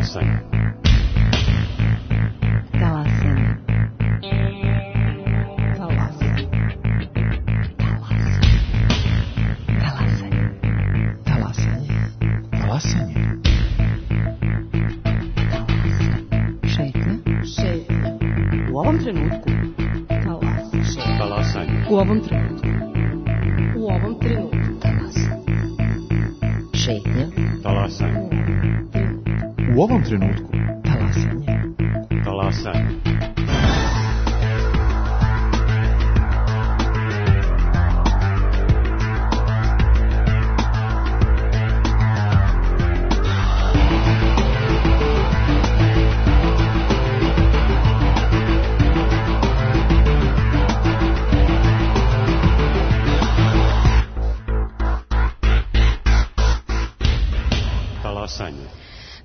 Talasanje. Talasanje. Talasanje. Talasanje. Talasanje. Talasanje. Šetnja. U ovom trenutku. Talasanje. U ovom trenutku. U ovom trenutku. Šetnja. Talasanje. U ovom trenutku. Talasanje. Talasanje.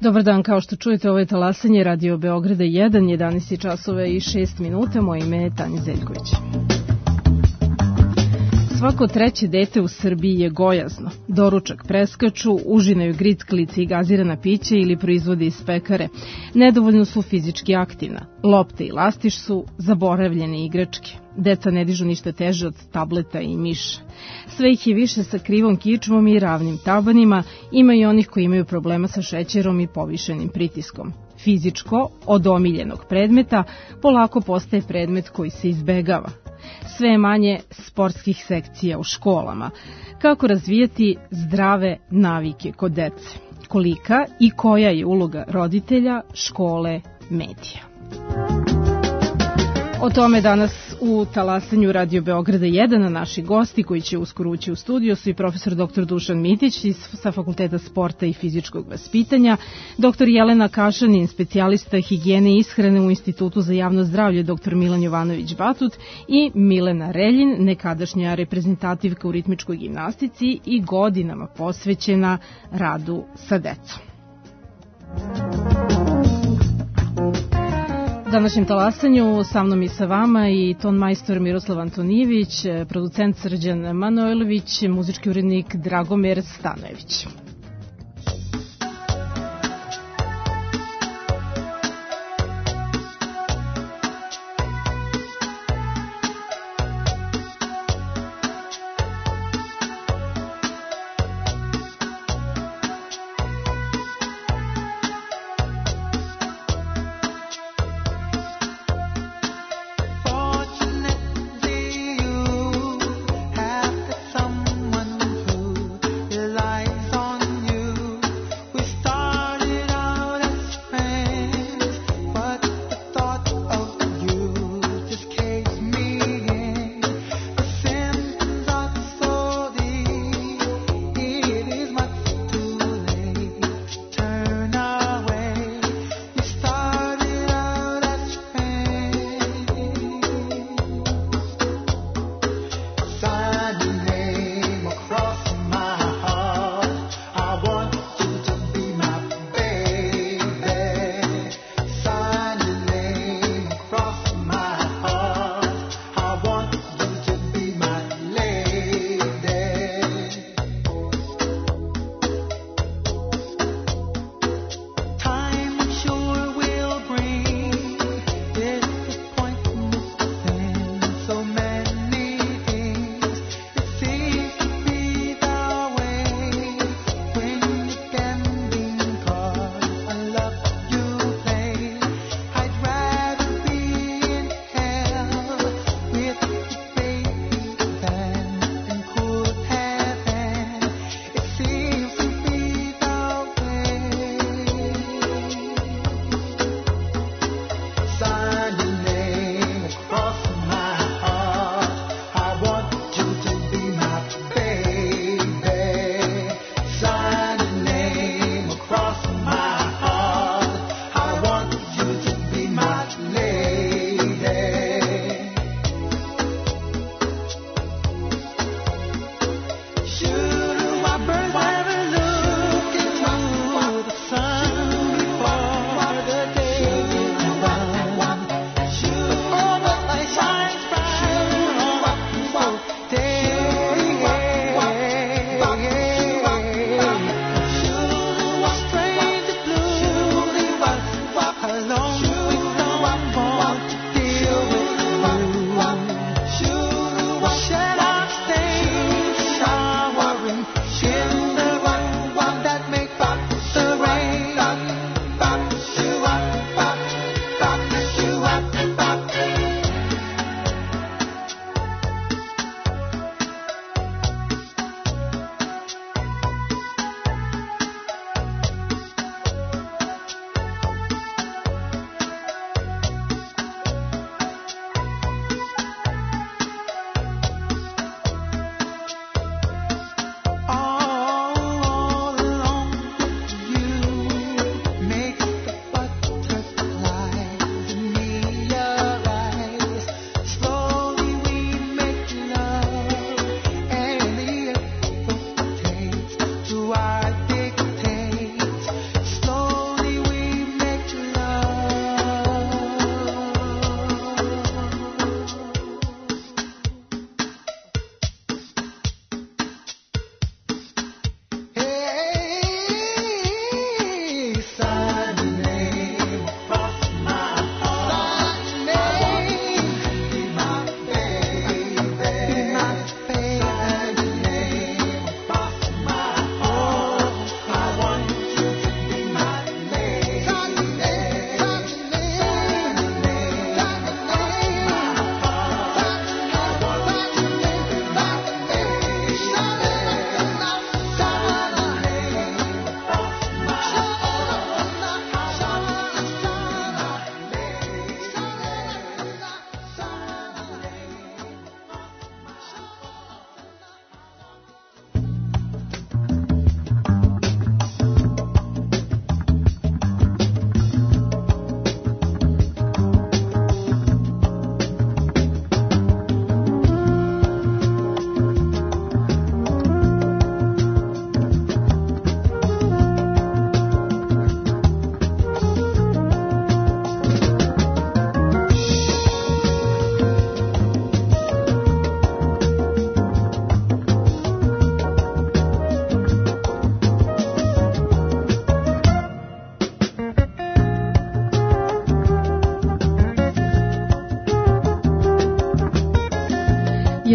Dobar dan, kao što čujete, ovo je Talasanje Radio Beograda 1, 11 časova i 6 minuta. Moje ime je Tanja Zeljković. Svako treće dete u Srbiji je gojazno. Doručak preskaču, užinaju gricklice i gazirana pića ili proizvode iz pekare. Nedovoljno su fizički aktivna. Lopte i lastiš su zaboravljene igračke. Deca ne dižu ništa teže od tableta i miša. Sve ih je više sa krivom kičmom i ravnim tabanima, ima i onih koji imaju problema sa šećerom i povišenim pritiskom. Fizičko, od omiljenog predmeta, polako postaje predmet koji se izbegava. Sve je manje sportskih sekcija u školama. Kako razvijati zdrave navike kod dece? Kolika i koja je uloga roditelja, škole, medija? O tome danas u Talasanju Radio Beograda 1, naši gosti koji će uskoro ući u studio su i profesor dr. Dušan Mitić sa Fakulteta sporta i fizičkog vaspitanja, dr. Jelena Kašanin, specijalista higijene i ishrane u Institutu za javno zdravlje dr. Milan Jovanović Batut i Milena Reljin, nekadašnja reprezentativka u ritmičkoj gimnastici i godinama posvećena radu sa decom. U današnjem Talasanju sa mnom i sa vama i ton majstor Miroslav Antonijević, producent Srđan Manojlović, muzički urednik Dragomir Stanojević. Someone who relies on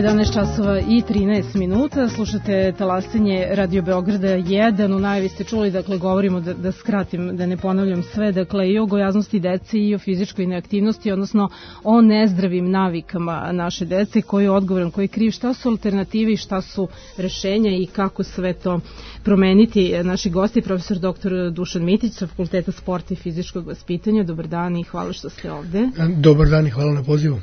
11 časova i 13 minuta, slušate Talasenje Radio Beograda 1, u najavi ste čuli, dakle govorimo da skratim, da ne ponavljam sve, dakle i o gojaznosti dece i o fizičkoj neaktivnosti, odnosno o nezdravim navikama naše dece, koji je odgovoran, koji je kriv, šta su alternative i šta su rešenja i kako sve to promeniti. Naši gosti, profesor dr. Dušan Mitić sa Fakulteta sporta i fizičkog vaspitanja, dobar dan i hvala što ste ovde. Dobar dan i hvala na pozivu.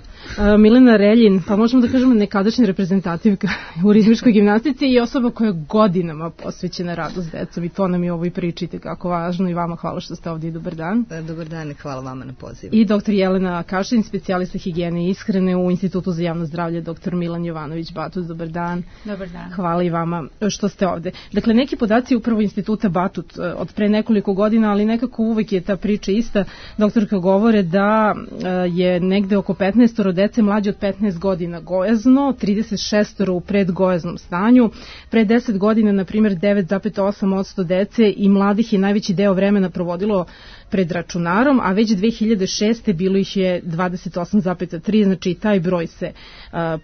Milena Reljin, pa možemo da kažemo nekadašnja reprezentativka u ritmičkoj gimnastici i osoba koja je godinama posvećena radu s decom i to nam je ovo i pričite kako važno i vama hvala što ste ovdje i dobar dan. Dobar dan i hvala vama na pozivu. I dr. Jelena Kašin, specijalista higijene i ishrane u Institutu za javno zdravlje, dr. Milan Jovanović Batut, dobar dan. Dobar dan. Hvala i vama što ste ovde. Dakle, neki podaci upravo Instituta Batut od pre nekoliko godina, ali nekako uvek je ta priča ista. Doktorka govore da je negde oko 15 dece mlađe od 15 godina gojazno, 36 u predgojaznom stanju. Pre 10 godina, na primjer, 9,8% dece i mladih je najveći deo vremena provodilo pred računarom, a već 2006. bilo ih je 28,3, znači taj broj se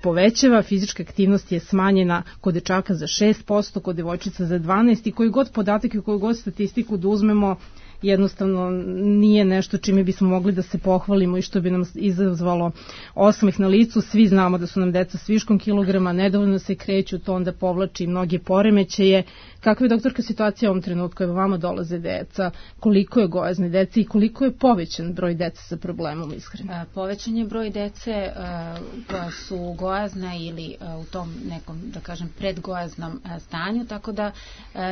povećava. Fizička aktivnost je smanjena kod dečaka za 6%, kod devojčica za 12% i koji god podatak i koju god statistiku da uzmemo, jednostavno nije nešto čime bismo mogli da se pohvalimo i što bi nam izazvalo osmeh na licu. Svi znamo da su nam deca s viškom kilograma, nedovoljno se kreću, to onda povlači mnoge poremećaje. Kakva je, doktorka, situacija u ovom trenutku? Evo vama dolaze deca, koliko je gojazne dece i koliko je povećan broj dece sa problemom ishrane? Povećan je broj dece koja su gojazna ili u tom nekom, da kažem, predgojaznom stanju, tako da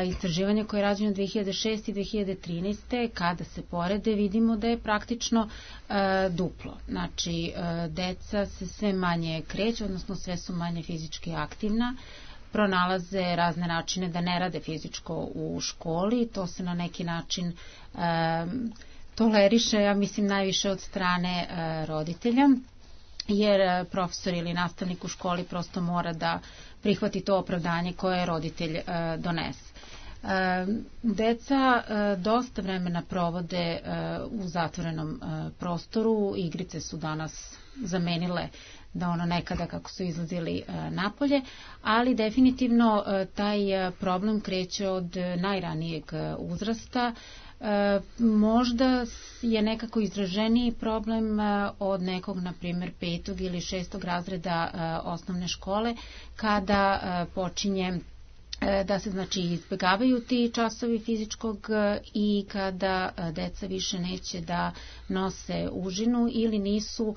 istraživanje koje je rađeno 2006. i 2013. kada se porede vidimo da je praktično duplo. Znači, deca se sve manje kreću, odnosno sve su manje fizički aktivna, pronalaze razne načine da ne rade fizičko u školi, to se na neki način toleriše, ja mislim, najviše od strane roditelja, jer profesor ili nastavnik u školi prosto mora da prihvati to opravdanje koje roditelj donese. Deca dosta vremena provode u zatvorenom prostoru, igrice su danas zamenile da ono nekada kako su izlazili napolje, ali definitivno taj problem kreće od najranijeg uzrasta. Možda je nekako izraženiji problem od nekog, na primjer, 5. ili 6. razreda osnovne škole, kada počinje da se, znači, izbjegavaju ti časovi fizičkog i kada deca više neće da nose užinu ili nisu,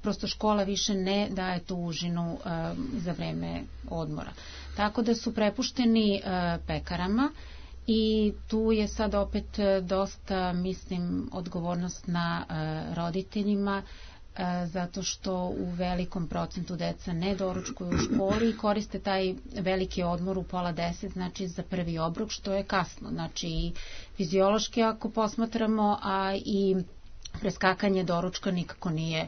prosto škola više ne daje tu užinu za vreme odmora. Tako da su prepušteni pekarama i tu je sad opet dosta, mislim, odgovornost na roditeljima, zato što u velikom procentu deca ne doručkuju u školi i koriste taj veliki odmor u 9:30, znači za prvi obrok, što je kasno. Znači i fiziološki ako posmatramo, a i preskakanje doručka nikako nije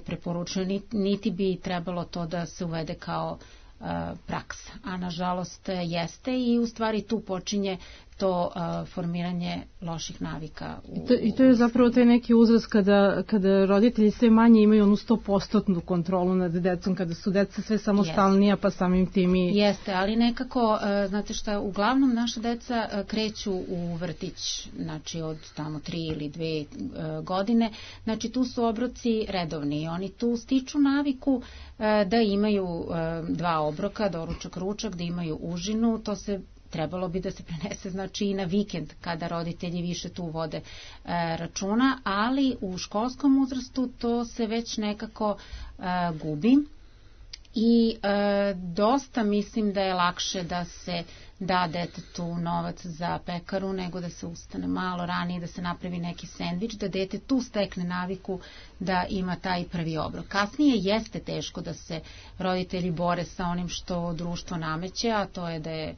preporučeno, niti bi trebalo to da se uvede kao praksa, a nažalost jeste i u stvari tu počinje to formiranje loših navika. I to je zapravo taj neki uzrast kada roditelji sve manje imaju onu 100% kontrolu nad decom, kada su deca sve samostalnija, pa samim tim i... Jeste, ali nekako, znate šta, uglavnom naša deca kreću u vrtić, znači od tamo 3 ili 2 godine, znači tu su obroci redovni i oni tu stiču naviku da imaju 2 obroka, doručak, ručak, da imaju užinu, to se trebalo bi da se prenese, znači, i na vikend kada roditelji više tu vode računa, ali u školskom uzrastu to se već nekako gubi i dosta mislim da je lakše da se da detetu novac za pekaru nego da se ustane malo ranije, da se napravi neki sendvič, da dete tu stekne naviku da ima taj prvi obrok. Kasnije jeste teško da se roditelji bore sa onim što društvo nameće, a to je da je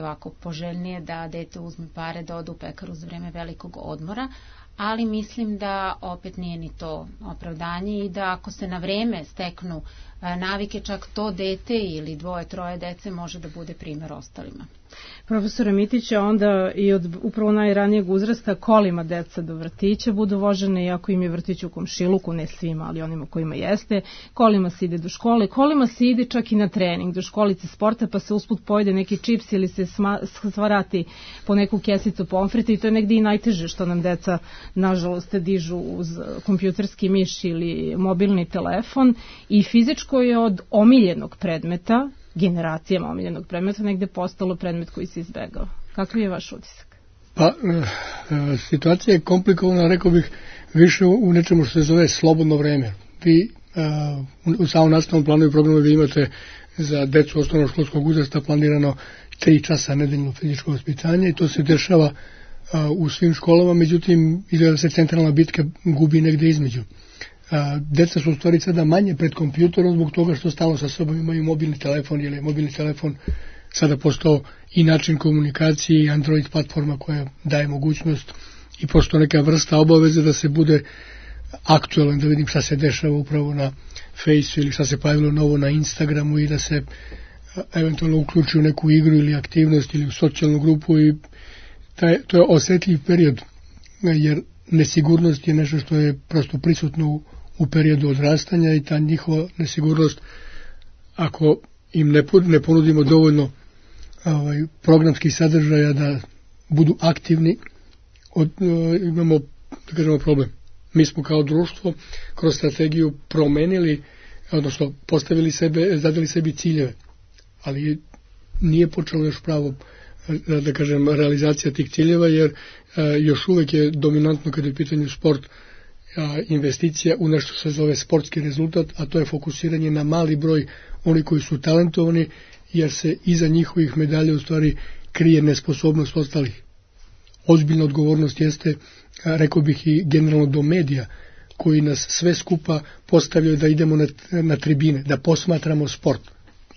ovako poželjnije da dete uzme pare da ode u pekaru za vreme velikog odmora, ali mislim da opet nije ni to opravdanje i da ako se na vreme steknu navike, čak to dete ili 2-3 dece može da bude primer ostalima. Profesore Mitića, onda i od upravo najranijeg uzrasta kolima deca do vrtića budu vožene, iako im je vrtić u komšiluku, ne svima, ali onima kojima jeste, kolima se ide do škole, kolima se ide čak i na trening, do školice sporta, pa se usput pojede neki čips ili se svarati po neku kesicu pomfrita i to je negdje i najteže što nam deca, nažalost, dižu uz kompjuterski miš ili mobilni telefon i fizičko je od omiljenog predmeta, generacijama omiljenog predmeta, negde postalo predmet koji se izbegao. Kakvi je vaš utisak? Pa, situacija je komplikovana, rekao bih, više u nečemu što se zove slobodno vreme. Vi u samom nastavnom planu i programu vi imate za decu osnovnoškolskog uzrasta planirano 3 časa nedeljno fizičko vaspitanje i to se dešava u svim školama, međutim, izgleda se centralna bitka gubi negde između. Deca su u stvari sada manje pred kompjuterom zbog toga što stalno sa sobom imaju mobilni telefon, jer je mobilni telefon sada postao i način komunikacije i Android platforma koja daje mogućnost i postao neka vrsta obaveze da se bude aktualan, da vidim šta se dešava upravo na Faceu ili šta se pojavilo novo na Instagramu i da se eventualno uključi u neku igru ili aktivnost ili u socijalnu grupu i to je osjetljiv period, jer nesigurnost je nešto što je prosto prisutno u periodu odrastanja i ta njihova nesigurnost, ako im ne ponudimo dovoljno programskih sadržaja da budu aktivni, imamo, da kažemo, problem. Mi smo kao društvo kroz strategiju promenili, odnosno postavili sebe, zadali sebi ciljeve, ali nije počelo još pravo, da kažem, realizacija tih ciljeva, jer još uvek je dominantno kada je u pitanju sport investicija u nešto što se zove sportski rezultat, a to je fokusiranje na mali broj oni koji su talentovani, jer se iza njihovih medalja u stvari krije nesposobnost ostalih. Ozbiljna odgovornost jeste, rekao bih, i generalno do medija, koji nas sve skupa postavljaju da idemo na tribine, da posmatramo sport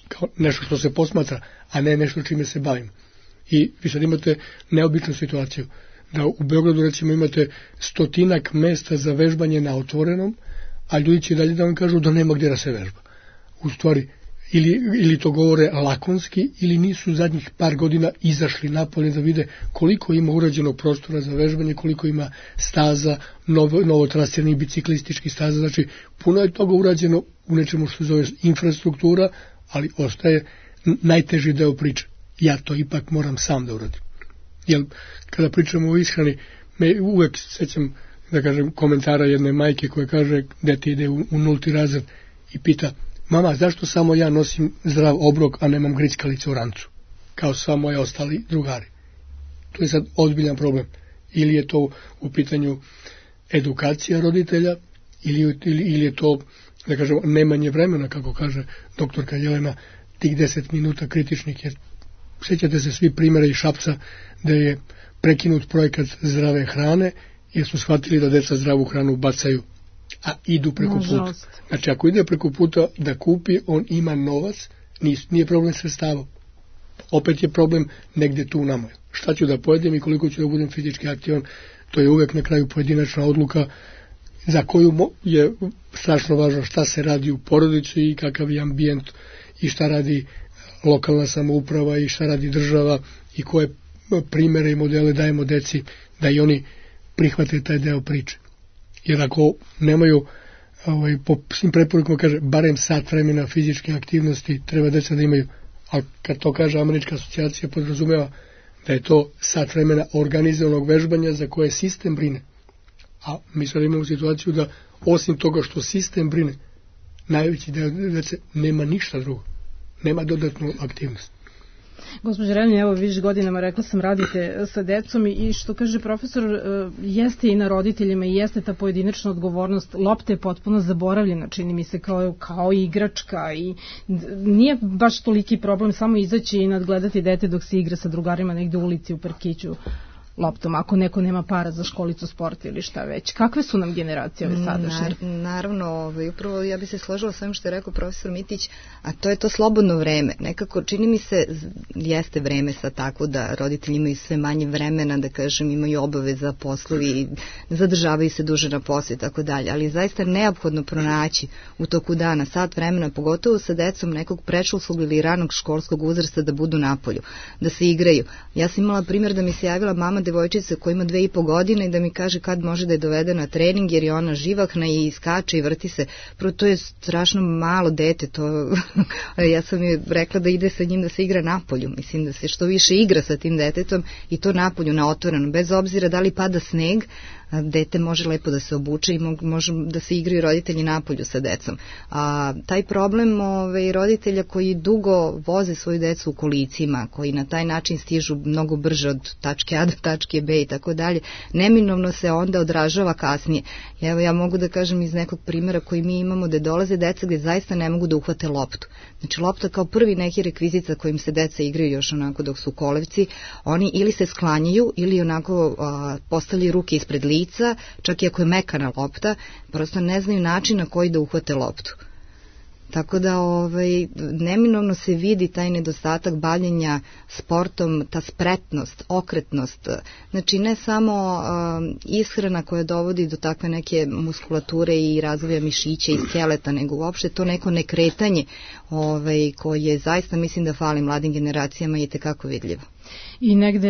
kao nešto što se posmatra, a ne nešto čime se bavimo. I vi sad imate neobičnu situaciju da u Beogradu recimo imate 100 mesta za vežbanje na otvorenom, a ljudi će dalje da vam kažu da nema gdje da se vežba. U stvari, ili to govore lakonski, ili nisu zadnjih par godina izašli napolje da vide koliko ima urađenog prostora za vežbanje, koliko ima staza, novo trasiranih biciklističkih staza, znači puno je toga urađeno u nečemu što se zove infrastruktura, ali ostaje najteži deo priče. Ja to ipak moram sam da uradim. Jer kada pričamo o ishrani, me uvek sećam, da kažem, komentara jedne majke koja kaže, dete ide u 0. razred i pita, mama, zašto samo ja nosim zdrav obrok, a nemam grickalice u rancu, kao sva moje ostali drugari? To je sad ozbiljan problem. Ili je to u pitanju edukacija roditelja, ili je to, da kažem, nemanje vremena, kako kaže doktorka Jelena, tih 10 minuta kritičnih, jer sjećate se svi primjera iz Šapca da je prekinut projekat zdrave hrane jer su shvatili da deca zdravu hranu bacaju, a idu preko puta. Znači ako ide preko puta da kupi, on ima novac, nije problem sredstava. Opet je problem negde tu u nama. Šta ću da pojedem i koliko ću da budem fizički aktivan, to je uvek na kraju pojedinačna odluka za koju je strašno važno šta se radi u porodici i kakav je ambijent i šta radi lokalna samouprava i šta radi država i koje primere i modele dajemo deci da i oni prihvate taj deo priče. Jer ako nemaju, po svim preporukama kaže, barem sat vremena fizičke aktivnosti treba deca da imaju, ali kad to kaže Američka asocijacija podrazumeva da je to sat vremena organizovanog vežbanja za koje sistem brine. A mi sad imamo situaciju da osim toga što sistem brine, najveći deo dece nema ništa drugo. Nema dodatnu aktivnost. Gospođa Relja, evo viš godinama rekla sam radite sa decom i što kaže profesor, jeste i na roditeljima i jeste ta pojedinačna odgovornost. Lopta je potpuno zaboravljena, čini mi se kao igračka i nije baš toliki problem samo izaći i nadgledati dete dok se igra sa drugarima negde u ulici, u parkiću. loptom, ako neko nema para za školicu sporta ili šta već. Kakve su nam generacije ove sadašnje? Naravno, upravo ja bi se složila s ovim što je rekao profesor Mitić, a to je to slobodno vreme. Nekako čini mi se, jeste vreme sad tako da roditelji imaju sve manje vremena, da kažem, imaju obaveza, poslovi, zadržavaju se duže na poslu i tako dalje, ali zaista neophodno pronaći u toku dana sat vremena, pogotovo sa decom nekog predškolskog ili ranog školskog uzrasta, da budu napolju, da se igraju. Ja sam imala primjer da mi se javila mama devojčice koja ima 2,5 godine i da mi kaže kad može da je dovede na trening jer je ona živahna i skače i vrti se. Prvo, to je strašno malo dete, to ja sam joj rekla da ide sa njim da se igra napolju. Mislim da se što više igra sa tim detetom i to napolju, na otvorenom, bez obzira da li pada sneg, dete može lepo da se obuče i može da se igraju roditelji napolju sa decom. Taj problem roditelja koji dugo voze svoju decu u kolicima, koji na taj način stižu mnogo brže od tačke A do tačke B i tako dalje, neminovno se onda odražava kasnije. Evo, ja mogu da kažem iz nekog primjera koji mi imamo, da dolaze deca gde zaista ne mogu da uhvate loptu. Znači, lopta kao prvi neki rekvizit sa kojim se deca igraju još onako dok su u kolevci, oni ili se sklanjaju ili onako postavljaju ruke ispred lica, čak i ako je mekana lopta, prosto ne znaju način na koji da uhvate loptu. Tako da neminovno se vidi taj nedostatak bavljenja sportom, ta spretnost, okretnost. Znači ne samo ishrana koja dovodi do takve neke muskulature i razvoja mišića i skeleta, nego uopšte to neko nekretanje koje zaista mislim da fali mladim generacijama i je tekako vidljivo. I negde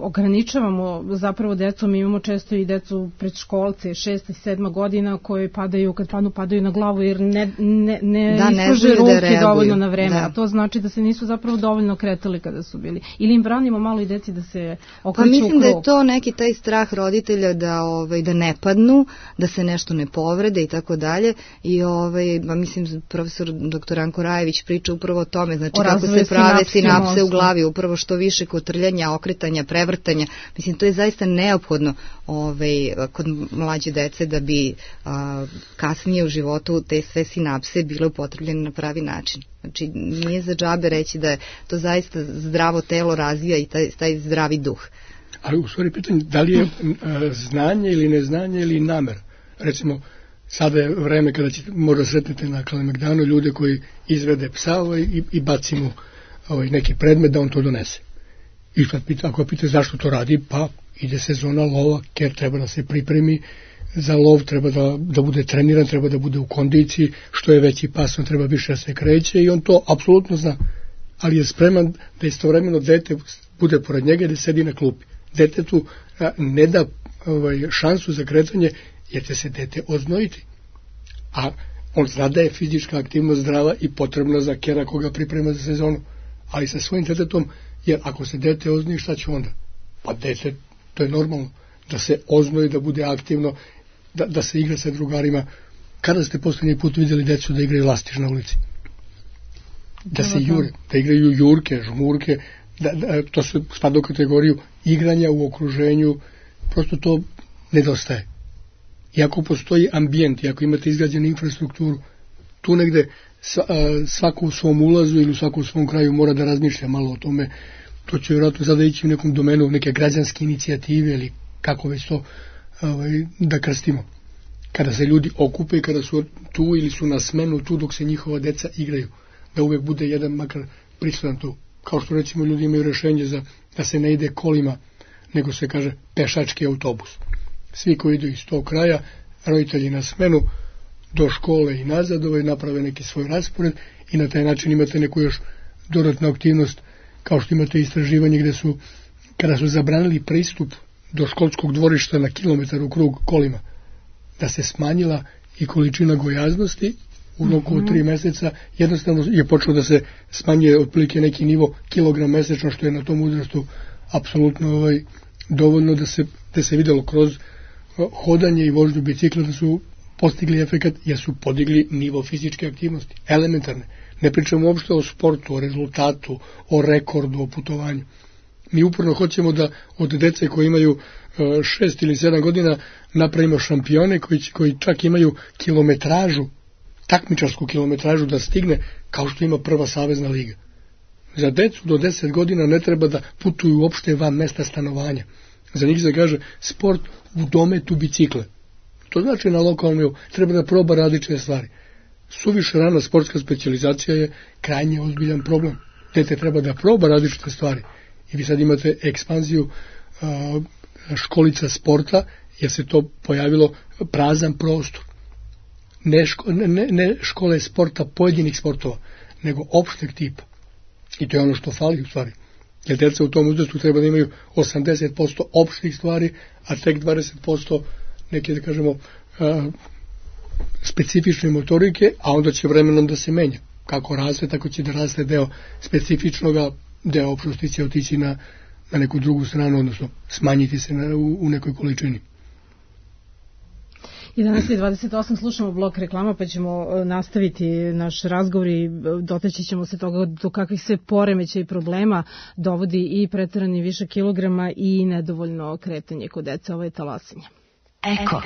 ograničavamo zapravo decu, mi imamo često i decu predškolce, 6. i 7. godina koji padaju, kad padaju na glavu jer ne islože ruke dovoljno na vreme, a to znači da se nisu zapravo dovoljno kretali kada su bili. Ili im branimo malo i deci da se okreću u krug. Mislim da je to neki taj strah roditelja da ne padnu, da se nešto ne povrede i tako dalje. I mislim profesor dr. Anko Rajević priča upravo o tome, znači kako se prave sinapse u glavi, upravo što više kotrljanja, okretanja, prevrtanja. Mislim, to je zaista neophodno kod mlađe dece da bi kasnije u životu te sve sinapse bile upotrebljene na pravi način. Znači, nije za džabe reći da je to zaista zdravo telo razvija i taj zdravi duh. Ali u stvari pitanje, da li je znanje ili neznanje ili namer? Recimo, sada je vreme kada možda sretnete na Kalemegdanu ljude koji izvede psa i baci mu neki predmet da on to donese. I ako pita zašto to radi, pa ide sezona lova, ker treba da se pripremi za lov, treba da bude treniran, treba da bude u kondiciji, što je veći pas, on treba više da se kreće i on to apsolutno zna. Ali je spreman da istovremeno dete bude pored njega i da sedi na klupi. Detetu ne da šansu za kretanje jer će se dete oznojiti. A on zna da je fizička aktivnost zdrava i potrebna za kera koga priprema za sezonu. Ali sa svojim detetom, jer ako se dete oznoji, šta će onda? Pa dete, to je normalno, da se oznoji, da bude aktivno, da se igra sa drugarima. Kada ste posljednji put vidjeli decu da igraju lastiš na ulici? Da se jure, da igraju jurke, žmurke, to se spada u kategoriju igranja u okruženju, prosto to nedostaje. Iako postoji ambijent, iako imate izgrađenu infrastrukturu, tu negde svako u svom ulazu ili svako u svom kraju mora da razmišlja malo o tome. To će vjerojatno sada ići u nekom domenu neke građanske inicijative ili kako već to da krstimo. Kada se ljudi okupe, kada su tu ili su na smenu tu dok se njihova deca igraju, da uvek bude jedan makar prisutan tu. Kao što recimo ljudi imaju rešenje da se ne ide kolima, nego se kaže pešački autobus. Svi koji idu iz tog kraja, roditelji na smenu, do škole i nazad, naprave neki svoj raspored i na taj način imate neku još dodatnu aktivnost, kao što imate istraživanje gde su, kada su zabranili pristup do školskog dvorišta na kilometar u krug kolima, da se smanjila i količina gojaznosti u roku od 3 meseca, jednostavno je počelo da se smanjuje otprilike neki nivo kilogram mesečno, što je na tom uzrastu apsolutno dovoljno da se videlo kroz hodanje i vožnju bicikla da su postigli efekat jer su podigli nivo fizičke aktivnosti, elementarne. Ne pričamo uopšte o sportu, o rezultatu, o rekordu, o putovanju. Mi uporno hoćemo da od dece koji imaju 6 ili 7 godina napravimo šampione koji čak imaju kilometražu, takmičarsku kilometražu da stigne kao što ima prva savezna liga. Za decu do 10 godina ne treba da putuju uopšte van mesta stanovanja. Za njih se kaže sport u dometu bicikle. To znači na lokalnom treba da proba različite stvari. Suviše rana sportska specijalizacija je krajnje ozbiljan problem. Dete treba da proba različite stvari. I vi sad imate ekspanziju školica sporta, jer se to pojavilo prazan prostor. Ne škole sporta pojedinih sportova, nego opšteg tipa. I to je ono što fali u stvari. Jer djeca u tom uzrastu treba da imaju 80% opštih stvari, a tek 20% neke, da kažemo, specifične motorike, a onda će vremenom da se menja. Kako raste, tako će da raste deo specifičnoga, deo opštosti će otići na neku drugu stranu, odnosno smanjiti se u nekoj količini. 11:28 slušamo blok reklama, pa ćemo nastaviti naš razgovor i dotaći ćemo se toga do kakvih se poremeća i problema dovodi i preterani više kilograma i nedovoljno kretanje kod dece. Ovo je talasanje. Eko.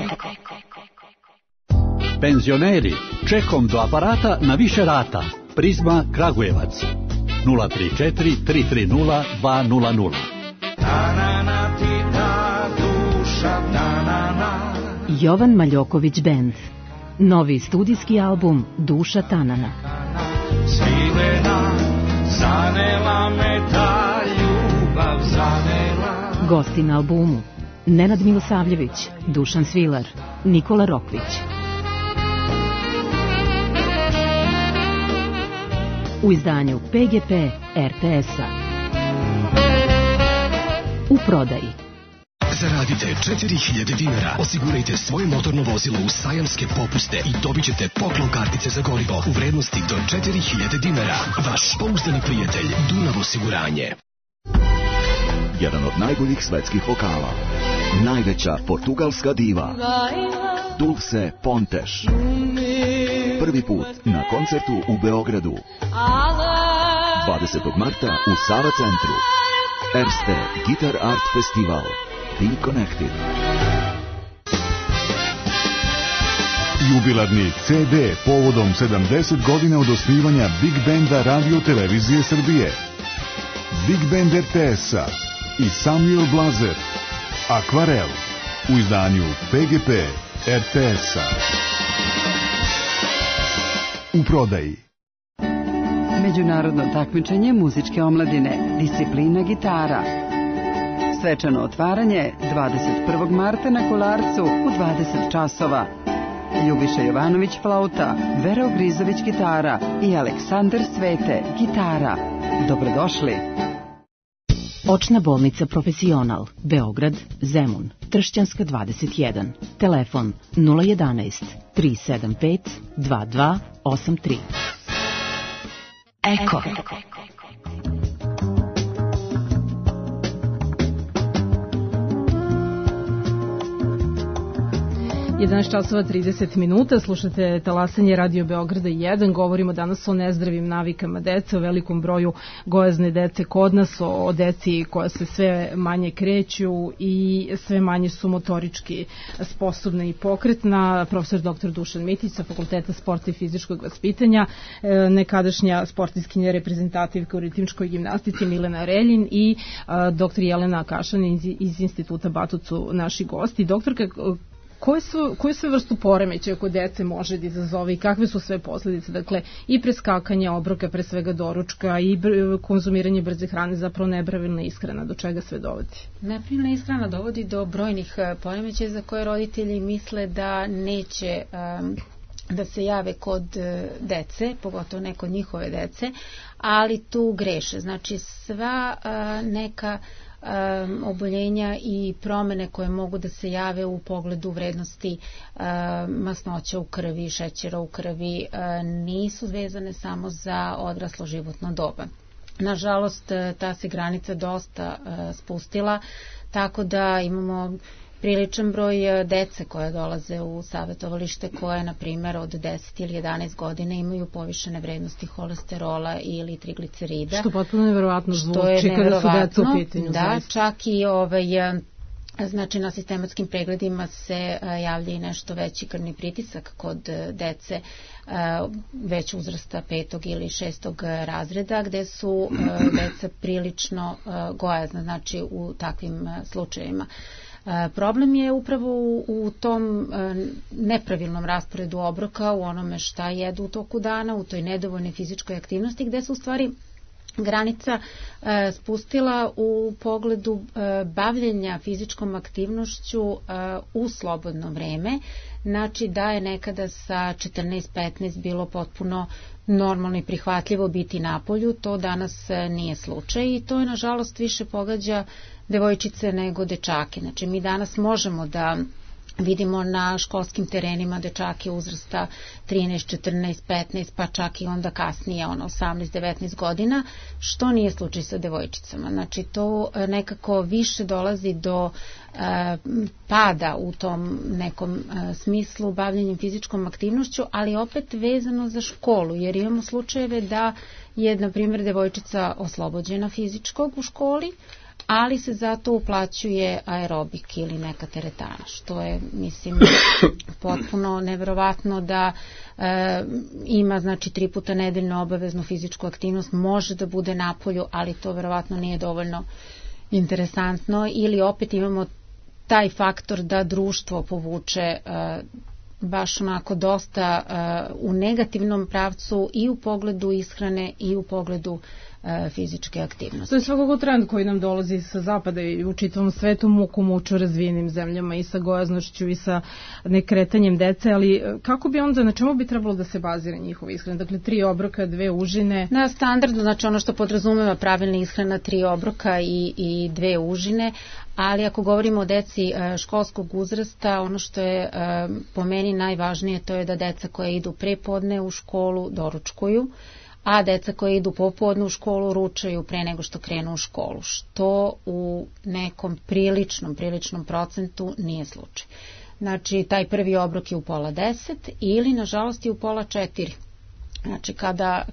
Penzioneri, čekom do aparata na više rata. Prizma Kragujevac 034 330 200. Jovan Maljoković Band. Novi studijski album Duša Tanana. Gosti na albumu Nenad Milosavljević, Dušan Svilar, Nikola Rokvić. U izdanju PGP RTS-a. U prodaji. Zaradite 4000 dinara, osigurajte svoje motorno vozilo u sajamske popuste i dobit ćete poklon kartice za gorivo u vrednosti do 4000 dinara. Vaš pouzdani prijatelj Dunav osiguranje. Jedan od najboljih svetskih vokala, najveća portugalska diva, Dulce Pontes. Prvi put na koncertu u Beogradu 20. marta u Sava centru. Erste Guitar Art Festival. Be Connected. Jubilarni CD povodom 70 godina od osnivanja Big Banda Radio Televizije Srbije. Big Band RTS-a i Samuel Blazer. Akvarel u izdanju PGP RTS-a. U prodaji. Međunarodno takmičenje muzičke omladine, disciplina gitara. Svečano otvaranje 21. marta na Kolarcu u 20 časova. Ljubiša Jovanović flauta, Vera Ogrizović gitara i Aleksandar Svete gitara. Dobrodošli. Očna bolnica Profesional, Beograd, Zemun, Tršćanska 21. Telefon 011 375 2283. Eko. 11:30, slušate talasanje Radio Beograda 1, govorimo danas o nezdravim navikama dece, o velikom broju gojazne dece kod nas, o deci koja se sve manje kreću i sve manje su motorički sposobna i pokretna. Profesor dr. Dušan Mitić sa Fakulteta sporta i fizičkog vaspitanja, nekadašnja sportistkinja reprezentativka u ritmičkoj gimnastici Milena Reljin i dr. Jelena Kašan iz Instituta Batut su naši gosti. Doktorka, koje sve vrstu poremećaja kod dece može da izazove i kakve su sve posledice? Dakle, i preskakanje obroka, pre svega doručka, i konzumiranje brze hrane, zapravo nepravilna ishrana, do čega sve dovodi? Nepravilna ishrana dovodi do brojnih poremećaja za koje roditelji misle da neće da se jave kod dece, pogotovo ne kod njihove dece, ali tu greše. Znači, sva neka oboljenja i promene koje mogu da se jave u pogledu vrednosti masnoća u krvi, šećera u krvi, nisu vezane samo za odraslo životno doba. Nažalost, ta se granica dosta spustila, tako da imamo priličan broj dece koje dolaze u savjetovalište koje, na primjer, od 10 ili 11 godina imaju povišene vrednosti holesterola ili triglicerida. Što potpuno neverovatno zvuči kada su deca u pitanju. Da, čak i Znači na sistematskim pregledima se javlja i nešto veći krvni pritisak kod dece već uzrasta 5. ili 6. razreda, gde su deca prilično gojazna, znači u takvim slučajevima. Problem je upravo u tom nepravilnom rasporedu obroka, u onome šta jedu u toku dana, u toj nedovoljnoj fizičkoj aktivnosti, gde se u stvari granica spustila u pogledu bavljenja fizičkom aktivnošću u slobodno vreme, znači da je nekada sa 14-15 bilo potpuno normalno i prihvatljivo biti napolju, to danas nije slučaj i to je nažalost više pogađa devojčice nego dečake. Znači mi danas možemo da vidimo na školskim terenima dečake uzrasta 13, 14, 15, pa čak i onda kasnije 18-19 godina, što nije slučaj sa devojčicama. Znači to nekako više dolazi do pada u tom nekom smislu bavljenjem fizičkom aktivnošću, ali opet vezano za školu, jer imamo slučajeve da je, na primjer, devojčica oslobođena fizičkog u školi, ali se zato uplaćuje aerobik ili neka teretana, što je, mislim, potpuno neverovatno da ima, znači, 3 puta nedeljno obaveznu fizičku aktivnost, može da bude napolju, ali to verovatno nije dovoljno interesantno, ili opet imamo taj faktor da društvo povuče baš onako dosta u negativnom pravcu i u pogledu ishrane i u pogledu fizičke aktivnosti. To je svakako trend koji nam dolazi sa zapada i u čitavom svetu, muku muču razvijenim zemljama i sa gojaznošću i sa nekretanjem dece, ali kako bi onda, na čemu bi trebalo da se bazira njihova ishrana? Dakle, 3 obroka, 2 užine? Na standardno, znači ono što podrazumeva pravilna ishrana, 3 obroka i 2 užine, ali ako govorimo o deci školskog uzrasta, ono što je po meni najvažnije, to je da deca koja idu prepodne u školu doručkuju, a deca koje idu popodne u školu ručaju pre nego što krenu u školu, što u nekom priličnom procentu nije slučaj. Znači, taj prvi obrok je u 9:30 ili, nažalost, je u 3:30. Znači,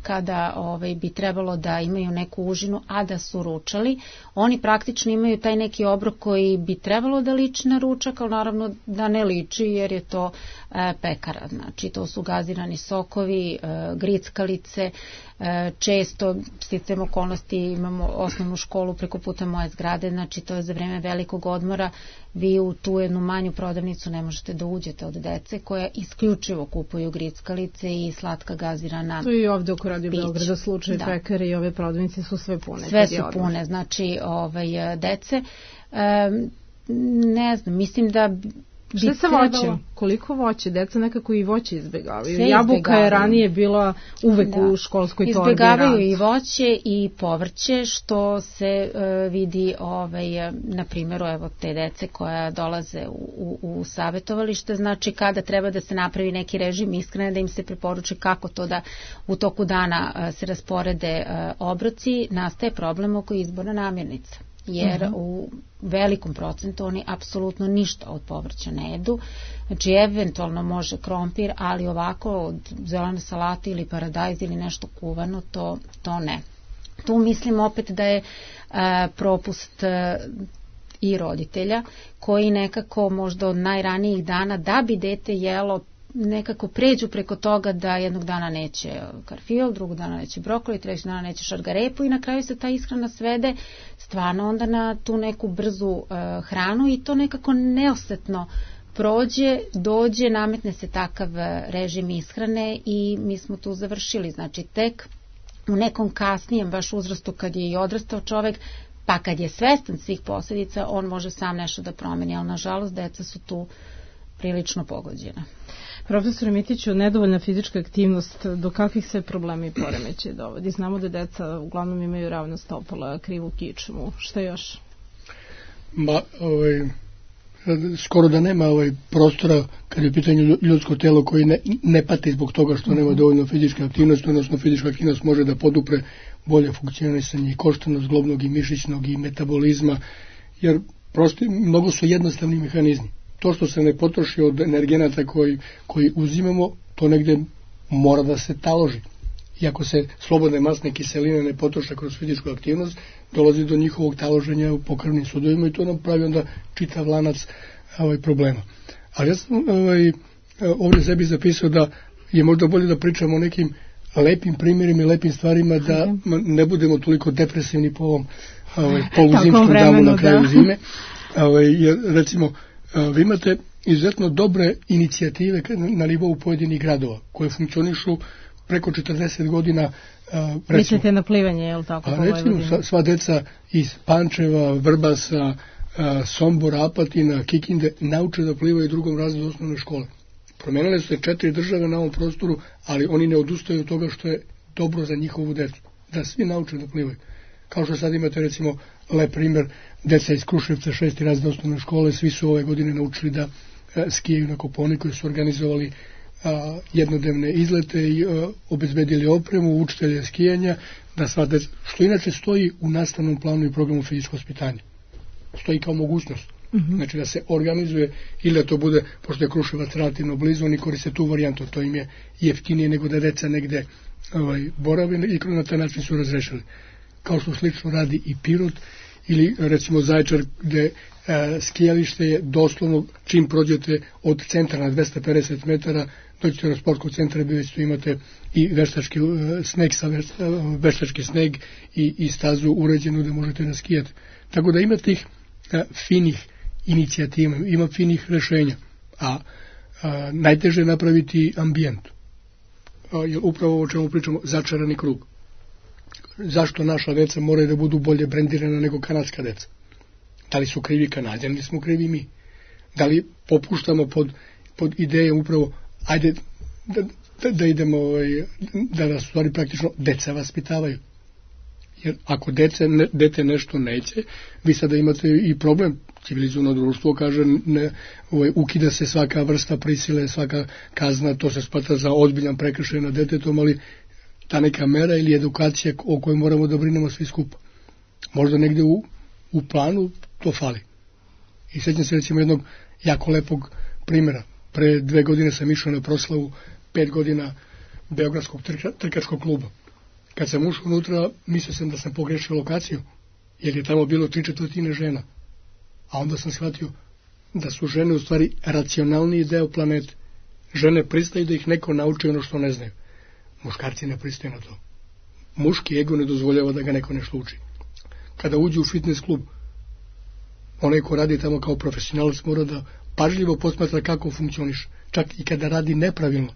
kada bi trebalo da imaju neku užinu, a da su ručali, oni praktično imaju taj neki obrok koji bi trebalo da liči na ručak, ali naravno da ne liči jer je to pekara. Znači, to su gazirani sokovi, grickalice, često, sticajem okolnosti, imamo osnovnu školu preko puta moje zgrade, znači to je za vreme velikog odmora, vi u tu jednu manju prodavnicu ne možete da uđete od dece koja isključivo kupuju grickalice i slatka gazirana. To je i ovde oko Radio Beograda slučaj, pekare i ove prodavnice su sve pune. Sve su pune, znači dece, ne znam, mislim da šta sa voćem? Koliko voće? Deca nekako i voće izbegavaju. Jabuka je ranije bila uvek u školskoj torbi. Izbegavaju i voće i povrće, što se vidi na primjeru te dece koja dolaze u savjetovalište. Znači kada treba da se napravi neki režim ishrane, da im se preporuči kako to da u toku dana se rasporede obroci, nastaje problem oko izbora namirnica. Jer u velikom procentu oni apsolutno ništa od povrća ne jedu. Znači, eventualno može krompir, ali ovako od zelene salate ili paradajz ili nešto kuvano, to ne. Tu mislim opet da je propust i roditelja, koji nekako možda od najranijih dana, da bi dete jelo, nekako pređu preko toga da jednog dana neće karfiol, drugog dana neće brokoli, trećeg dana neće šargarepu i na kraju se ta ishrana svede stvarno onda na tu neku brzu hranu i to nekako neosetno prođe, dođe, nametne se takav režim ishrane i mi smo tu završili. Znači tek u nekom kasnijem baš uzrastu kad je i odrastao čovek, pa kad je svestan svih posljedica, on može sam nešto da promeni, ali nažalost deca su tu prilično pogođena. Profesor Mitiću, nedovoljna fizička aktivnost, do kakvih sve problema i poremećaja dovodi? Znamo da deca uglavnom imaju ravna stopala, krivu kičmu. Šta još? Skoro da nema prostora kad je pitanje ljudsko telo koji ne pati zbog toga što nema dovoljno fizičke aktivnosti, odnosno fizička aktivnost može da podupre bolje funkcionisanje i koštanog, zglobnog i mišićnog i metabolizma, jer prosto mnogo su jednostavni mehanizmi. To što se ne potroši od energenata koji uzimamo, to negde mora da se taloži. i ako se slobodne masne kiseline ne potroše kroz fizičku aktivnost, dolazi do njihovog taloženja u pokrvnim sudovima i to nam pravi onda čitav lanac problema. Ali ja sam ovdje sebi zapisao da je možda bolje da pričamo o nekim lepim primjerima i lepim stvarima, da ne budemo toliko depresivni po ovom poluzimskom danu na kraju zime. Recimo, vi imate izuzetno dobre inicijative na nivou pojedinih gradova koje funkcionišu preko 40 godina. Mislite na plivanje, je li tako? Recimo, sva deca iz Pančeva, Vrbasa, Sombora, Apatina, Kikinde nauče da plivaju u drugom razredu osnovne škole. Promenile su se 4 države na ovom prostoru, ali oni ne odustaju od toga što je dobro za njihovu decu, da svi nauče da plivaju. Kao što sad imate recimo lep primjer, deca iz Kruševca 6. razred osnovne škole, svi su ove godine naučili da skijaju na Kopaoniku, su organizovali jednodnevne izlete i obezbedili opremu, učitelje skijanja, da sva deca, što inače stoji u nastavnom planu i programu fizičkog vaspitanja. Stoji kao mogućnost. Znači da se organizuje ili da to bude, pošto je Kruševac relativno blizu, oni koriste tu varijantu, to im je jeftinije nego da deca negde borave i na taj način su razrešili. Kao što slično radi i Pirot ili recimo Zaječar, gde skijalište je doslovno čim prođete od centra na 250 metara, dođete do sportskog centra, već tu imate i veštački sneg i stazu uređenu da možete da skijate. Tako da ima tih finih inicijativa, ima finih rešenja, a najteže je napraviti ambijent. Jer upravo o čemu pričamo, začarani krug. Zašto naša deca moraju da budu bolje brendirana nego kanadska deca? Da li su krivi Kanadjani ili smo krivi mi? Da li popuštamo pod idejom upravo, ajde da idemo, da nas stvari praktično deca vaspitavaju? Jer ako dete nešto neće, vi sada imate i problem. Civilizovano društvo kaže, ukida se svaka vrsta prisile, svaka kazna, to se smatra za ozbiljan prekršaj nad detetom, ali ta neka mera ili edukacija o kojoj moramo da brinemo svi skupa. Možda negde u planu to fali. I sjećam se recimo jednog jako lepog primjera. Pre 2 godine sam išao na proslavu 5 godina Beogradskog trkačkog kluba. Kad sam ušao unutra, mislio sam da sam pogrešio lokaciju, jer je tamo bilo 3/4 žena. A onda sam shvatio da su žene u stvari racionalniji deo planete. Žene pristaju da ih neko nauči ono što ne znaju. Muškarci ne pristaju na to. Muški ego ne dozvoljava da ga neko nešto uči. Kada uđe u fitness klub, onaj ko radi tamo kao profesionalac mora da pažljivo posmatra kako funkcioniš. Čak i kada radi nepravilno,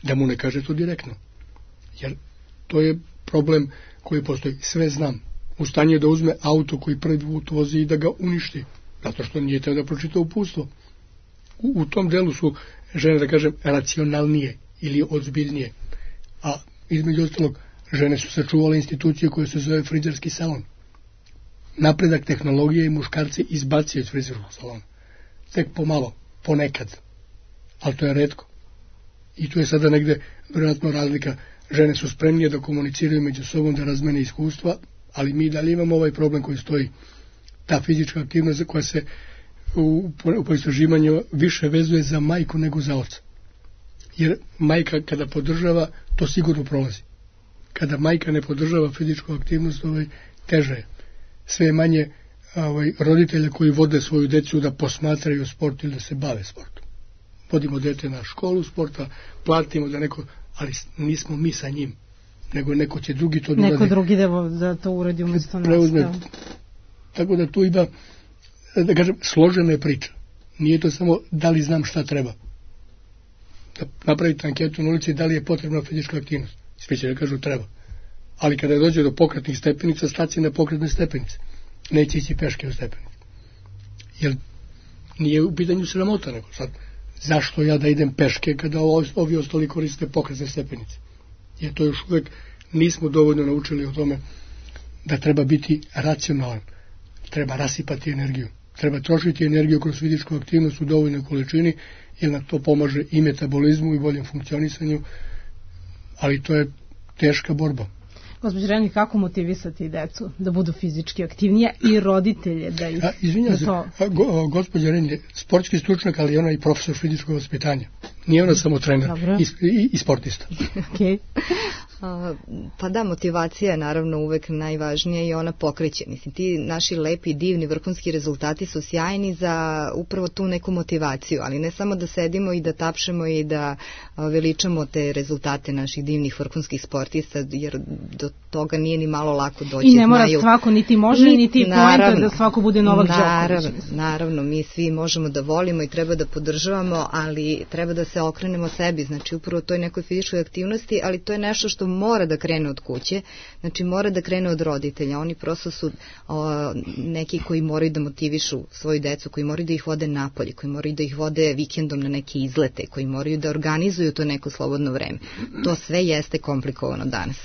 da mu ne kaže to direktno. Jer to je problem koji postoji. Sve znam. U stanju je da uzme auto koji prvi put vozi i da ga uništi. Zato što nije teo da pročita uputstvo. U tom delu su žene, da kažem, racionalnije ili ozbiljnije. A između ostalog, žene su sačuvale instituciju koja se zove frizerski salon. Napredak tehnologije i muškarci izbacio iz frizerskog salona. Tek pomalo, ponekad. Ali to je retko. I tu je sada negde vjerojatno razlika. Žene su spremnije da komuniciraju među sobom, da razmene iskustva, ali mi dalje imamo ovaj problem koji stoji. Ta fizička aktivnost koja se u istraživanju više vezuje za majku nego za oca. Jer majka kada podržava, to sigurno prolazi. Kada majka ne podržava fizičku aktivnost, teže je. Sve je manje roditelja koji vode svoju decu da posmatraju sport ili da se bave sportom. Vodimo dete na školu sporta, platimo da neko, ali nismo mi sa njim, nego neko će drugi to neko drugi da to uradi umjesto nas. Tako da tu ima, da kažem, složena je priča. Nije to samo da li znam šta treba. Da napravite anketu na ulici da li je potrebna fizička aktivnost. Svi će da kažu treba. Ali kada dođe do pokretnih stepenica, staci na pokretne stepenice. Neće ići peške u stepenice. Jer nije u pitanju sramota, nego sad, zašto ja da idem peške kada ovi ostali koriste pokretne stepenice? Jer to još uvek nismo dovoljno naučili o tome da treba biti racionalan. Treba rasipati energiju. Treba trošiti energiju kroz fizičku aktivnost u dovoljnoj količini, jer na to pomaže i metabolizmu i boljem funkcionisanju, ali to je teška borba. Gospođo Reni, kako motivisati decu da budu fizički aktivnije i roditelje da ih... Izvinjam se, gospođa Reni je sportski stručnjak, ali ona je i profesor fizičkog vaspitanja. Nije ona samo trener i sportista. Okay. Pa da, motivacija je naravno uvek najvažnija i ona pokreće. Mislim, ti naši lepi, divni, vrhunski rezultati su sjajni za upravo tu neku motivaciju, ali ne samo da sedimo i da tapšemo i da veličamo te rezultate naših divnih vrhunskih sportista, jer do toga nije ni malo lako doći. I ne mora svako, niti može, niti poenta da svako bude Novak Đoković. Naravno, mi svi možemo da volimo i treba da podržavamo, ali treba da se okrenemo sebi, znači upravo toj nekoj fizičkoj aktivnosti, ali to je nešto što mora da krene od kuće, znači mora da krene od roditelja. Oni prosto su neki koji moraju da motivišu svoju decu, koji moraju da ih vode napolje, koji moraju da ih vode vikendom na neke izlete, koji moraju da organizuju to neko slobodno vreme. To sve jeste komplikovano danas.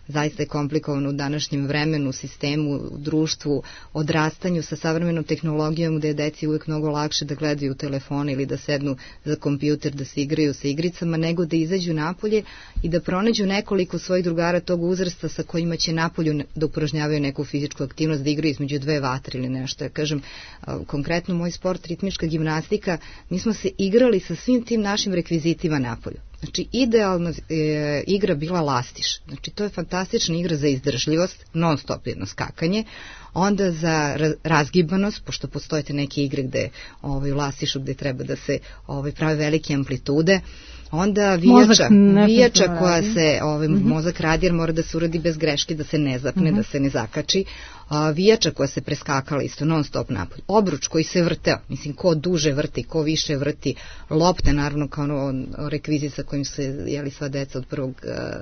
Zaista je komplikovano u današnjem vremenu, sistemu, u društvu, odrastanju sa savremenom tehnologijom gde je deci uvijek mnogo lakše da gledaju telefone ili da sednu za kompjuter, da se igraju sa igricama, nego da izađu napolje i da pronađu nekoliko svojih drugara tog uzrasta sa kojima će napolju da upražnjavaju neku fizičku aktivnost, da igraju između dve vatre ili nešto. Ja kažem, konkretno moj sport, ritmička gimnastika, mi smo se igrali sa svim tim našim rekvizitima napolju. Znači, idealna igra bila lastiš. Znači, to je fantastična igra za izdržljivost, non stop jedno skakanje, onda za razgibanost, pošto postoje neke igre gde u lastišu gde treba da se prave velike amplitude, onda vijača koja se, mozak radi jer mora da se uradi bez greške, da se ne zapne, da se ne zakači, vijača koja se preskakala isto non stop napolj, obruč koji se vrteo, mislim ko duže vrti, ko više vrti, lopte naravno kao rekvizit sa kojim se sva deca od prvog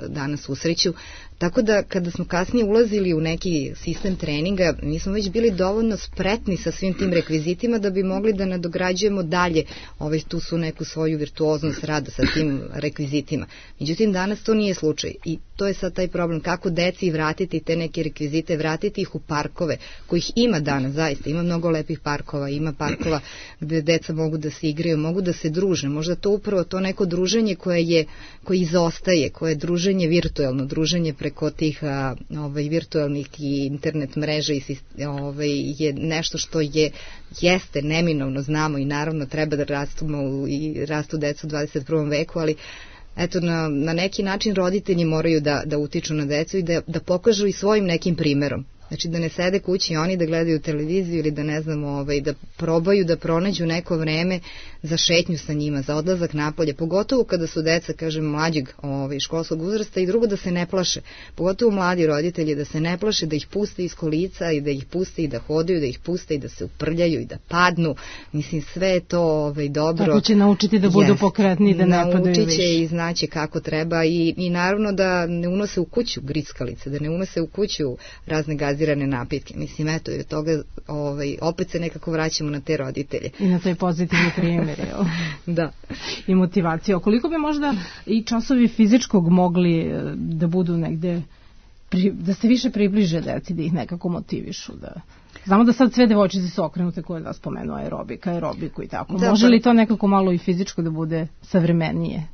dana susreću, tako da kada smo kasnije ulazili u neki sistem treninga, mi smo već bili dovoljno spretni sa svim tim rekvizitima da bi mogli da nadograđujemo dalje tu su neku svoju virtuoznost rada sa tim rekvizitima. Međutim, danas to nije slučaj i to je sad taj problem, kako deci vratiti te neke rekvizite, vratiti ih u parkove, kojih ima danas, zaista, ima mnogo lepih parkova, ima parkova gde deca mogu da se igraju, mogu da se druže, možda to upravo to neko druženje koje izostaje, koje je druženje virtualno, druženje preko tih virtualnih i internet mreža je nešto što jeste neminovno, znamo i naravno treba da rastemo i rastu decu u 21. veku, ali eto, na neki način roditelji moraju da utiču na decu i da pokažu i svojim nekim primerom. Znači da ne sede kući oni da gledaju televiziju ili da ne znam, da probaju da pronađu neko vreme za šetnju sa njima, za odlazak napolje, pogotovo kada su deca, kažem, mlađeg školskog uzrasta i drugo da se ne plaše, pogotovo mladi roditelji da se ne plaše, da ih puste iz kolica i da ih puste i da hodaju, da ih puste i da se uprljaju i da padnu, mislim sve je to dobro. Tako će naučiti da budu pokretni i da ne padaju više. Naučit će i znaće kako treba i naravno da ne unose u kuću grickalice, da ne unose u kuću razne gazirane napitke. Mislim, eto, i od toga opet se nekako vraćamo na te roditelje. I na taj pozitivni primjer, evo. Da. I motivacija. Koliko bi možda i časovi fizičkog mogli da budu negde, da se više približe deci, da ih nekako motivišu, da... Znamo da sad sve devojčice su okrenute koje da spomenu aerobiku i tako. Da, može li to nekako malo i fizičko da bude savremenije?